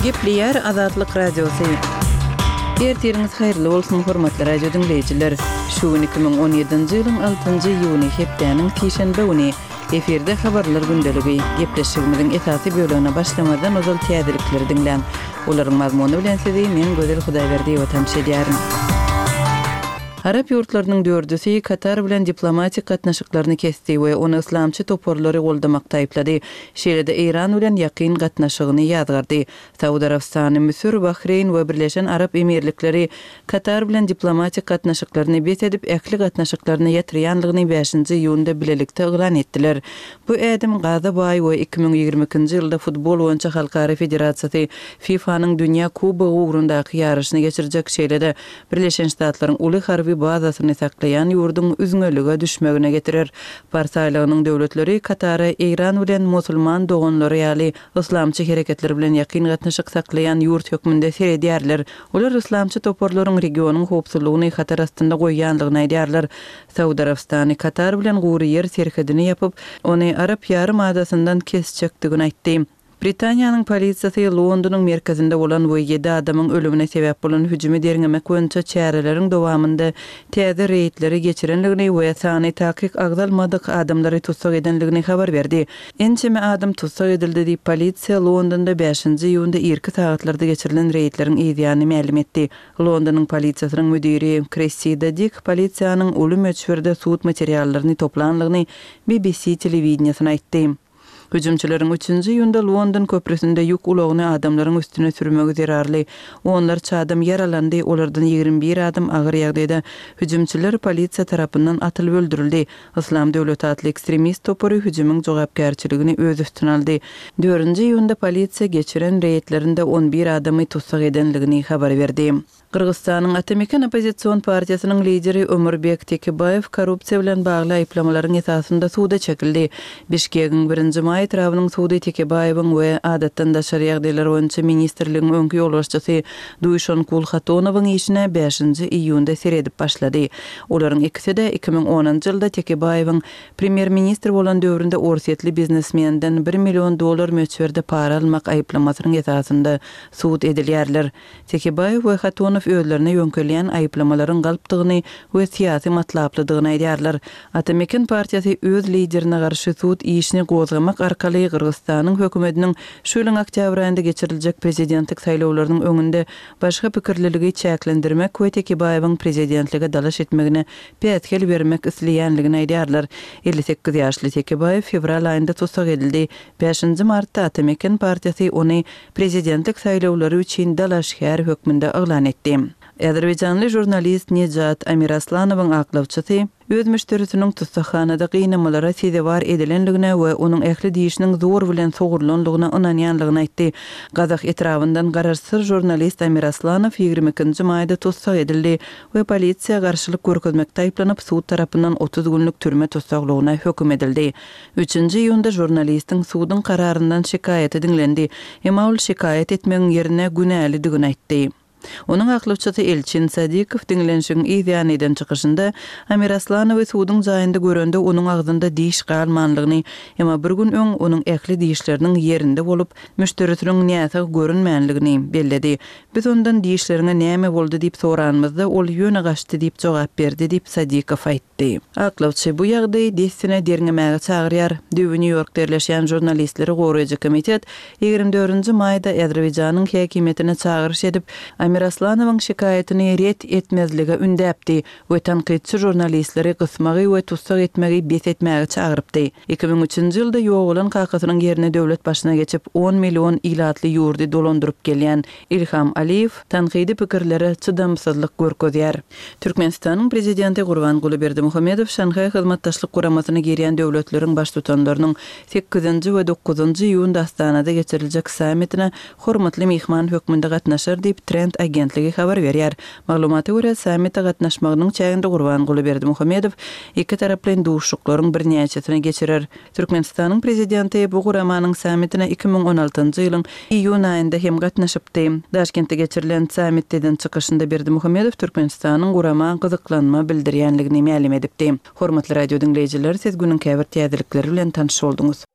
Gepleýär Azatlyk Radiosy. Ertiriňiz haýyrly bolsun, hormatly radio diňleýjiler! Şu gün 2017-nji ýylyň altynjy iýuny, hepdäniň sişenbe güni. Efirde Habarlar gündeligi. Gepleşigimiziň esasy bölegine başlamazdan ozal täzelikleri diňläň. Olaryň mazmuny bilen sizi men Gözel Hudaýberdiýewa tanyş edýärin. Arap ýurtlarynyň dördüsi Katar bilen diplomatik gatnaşyklaryny kesdi we ony yslamçy toparlary goldamakda aýyplady. Şeýle-de Eýran bilen ýakyn gatnaşygyny ýazgardy. Saud Arabystany, Müsür, Bahreýn we Birleşen Arap Emirlikleri Katar bilen diplomatik gatnaşyklaryny bes edip, ähli gatnaşyklaryny ýatyrýanlygyny bäşinji iýunda bilelikde yglan etdiler. Bu ädim gaza baý we 2022-nji ýylda futbol boýunça halkara federasiýasy FIFA-nyň Dünýä Kubogy ugrundaky ýaryşyny geçirjek, şeýle-de Birleşen Ştatlaryň uly harby bazasyny saklaýan ýurduň üzňelige düşmegine getirer. Pars aýlagynyň döwletleri Katara Eýran bilen Musulman doganlary ýaly yslamçy hereketler bilen ýakyn gatnaşyk saklaýan ýurt hökmünde seredýärler. Olar yslamçy toparlaryň regionyň howpsuzlygyny hatar astynda goýýandygyny aýdýarlar. Saud Arabystany Katar bilen gury ýer serhedini ýapyp, ony Arap ýarym adasyndan kesjekdigini aýtdy. Britaniýanyň polisiýasy Londonyň merkezinde bolan we ýedi adamyň ölümine sebäp bolan hüjümi derňemek boýunça çäreleriň dowamynda täze reýdleri geçirendigini we sany takyk agzalmadyk adamlary tussag edendigini habar berdi. Ençeme adam tussag edildi diýip, polisiýa Londonda bäşinji iýunda irki sagatlarda geçirilen reýdleriň yzýany mälim etdi. Londonyň polisiýasynyň müdiri Kressida Dik polisiýanyň uly möçberde sud materiallaryny toplandygyny BBC telewideniýesine aýtdy. Hüjümçileriň üçünji iýunda London köprüsinde ýük ulagyny adamlaryň üstüne sürmegi zerarly onlarça adam ýaralandy, olardan 21 adam agyr ýagdaýda. Hüjümçiler polisiýa tarapyndan atylyp öldürildi. Yslam döwleti atly ekstremist topary hüjümiň jogapkärçiligini öz üstüne aldy. Dördünji iýunda polisiýa geçiren reýdlerinde on bir adamy tussag edenligini habar berdi. Gyrgyzystanyň Ata Meken oppozision partiýasynyň lideri Ömürbek Tekebaýew korrupsiýa bilen bagly aýyplamalaryň esasynda suda çekildi. Bişkegiň Birinji maý etrabynyň sudy Tekebaýewiň we Adatdan daşary ýagdaýlar boýunça ministrligiň öňki ýolbaşçysy Duýşonkul Hatonowyň işine bäşinji iýunda seredip başlady. Olaryň ikisi-de 2010-njy ýylda Tekebaýewiň premýer-ministr bolan döwründe orsýetli biznesmenden bir million dollar möçberde para almak aýyplamasynyň esasynda sud edilýärler. Tekebaýew we Hatonow özlerine ýöňkelýän aýyplamalaryň galpdygyny we syýasy matlaplydygyny aýdýarlar. Ata Meken partiýasy öz liderine garşy sud işini gozgamak arkaly Gyrgyzystanyň hökümetiniň şu ýylyň oktýabr aýynda geçiriljek prezidentlik saýlawlarynyň öňünde başga pikirliligi çäklendirmek we Tekebaýewiň prezidentlige dalaş etmegine päsgel bermek isleýänligini aýdýarlar. 58 ýaşly Tekebaýew fewral aýynda tussag edildi. Bäşinji martda Ata Meken partiýasy ony prezidentlik saýlawlary üçin dalaşgär hökmünde yglan etdi. Azerbaýjanly žurnalist Nejat Amiraslanowyň aklawçysy öz müşderisiniň tussaghanada gynamalara sezewar edilendigine we onuň ähli dişiniň zor bilen sogrulandygyna ynanýandygyny aýtdy. Gazah etrabyndan garaşsyz žurnalist Amiraslanow 22-nji maýda tussag edildi we polisiýa garşylyk görkezmekde aýyplanyp, sud tarapyndan 30 günlük türme tussaglygyna höküm edildi. Üçünji iýunda žurnalistiň suduň kararyndan şikaýaty diňlendi, emma ol şikaýat etmegiň ýerine günälidigini aýtdy. Onuň aklawçysy Elçin Sadikow diňlenişigiň yz ýany eden çykyşynda, Amiraslanowy suduň jaýynda görende onuň agzynda diş galmanlygyny, emma bir gün öň onuň ähli dişleriniň ýerinde bolup, müşderisiniň näsag görünmänligini belledi. Biz ondan dişleriňe näme boldy diýip soranymyzda, ol ýöne gaçdy diýip jogap berdi diýip, Sadikow aýtdy. Aýtdy. Aklawçy bu ýagdaýy dessine derňemäge çagyrýar. Düýbi Nýu-Ýorkda ýerleşýän Žurnalistleri goraýjy komitet 24 nji maýda Azerbaýjanyň häkimiýetine çagyryş edip, Amiraslanowyň şikaýatyny ret etmezlige ündäpdi we tankytçy žurnalistleri gysmagy we tussag etmegi bes etmäge çagyrypdy. 2003-nji ýylda ýogalan kakasynyň ýerine döwlet başyna geçip, on million ilatly ýurdy dolandyryp gelýän Ilham Aliýew tankydy pikirlere çydamsyzlyk görkezýär. Türkmenistanyň Prezidenti Gurbanguly Berdimuhamedow Şanhaý Hyzmatdaşlyk Guramasyna girýän döwletleriň Baştutanlarynyň sekizinji we dokuzynjy iýunda Astanada geçiriljek sammitine hormatly myhman hökmünde gatnaşar diýip, Trend agentligi habar berýär. Maglumata görä, sammite gatnaşmagynyň çäginde Gurbanguly Berdimuhamedow ikitaraplaýyn duşuşyklaryň birnäçesini geçirer. Türkmenistanyň Prezidenti bu guramanyň sammitine 2016-njy ýylyň iýun aýynda hem gatnaşypdy. Daşkentde geçirilen sammitde eden çykyşynda Berdimuhamedow Türkmenistanyň gurama gyzyklanma bildirýänligini mälim edipdi. Hormatly radio diňleýjiler, siz günüň käbir täzelikleri bilen tanyş bolduňyz.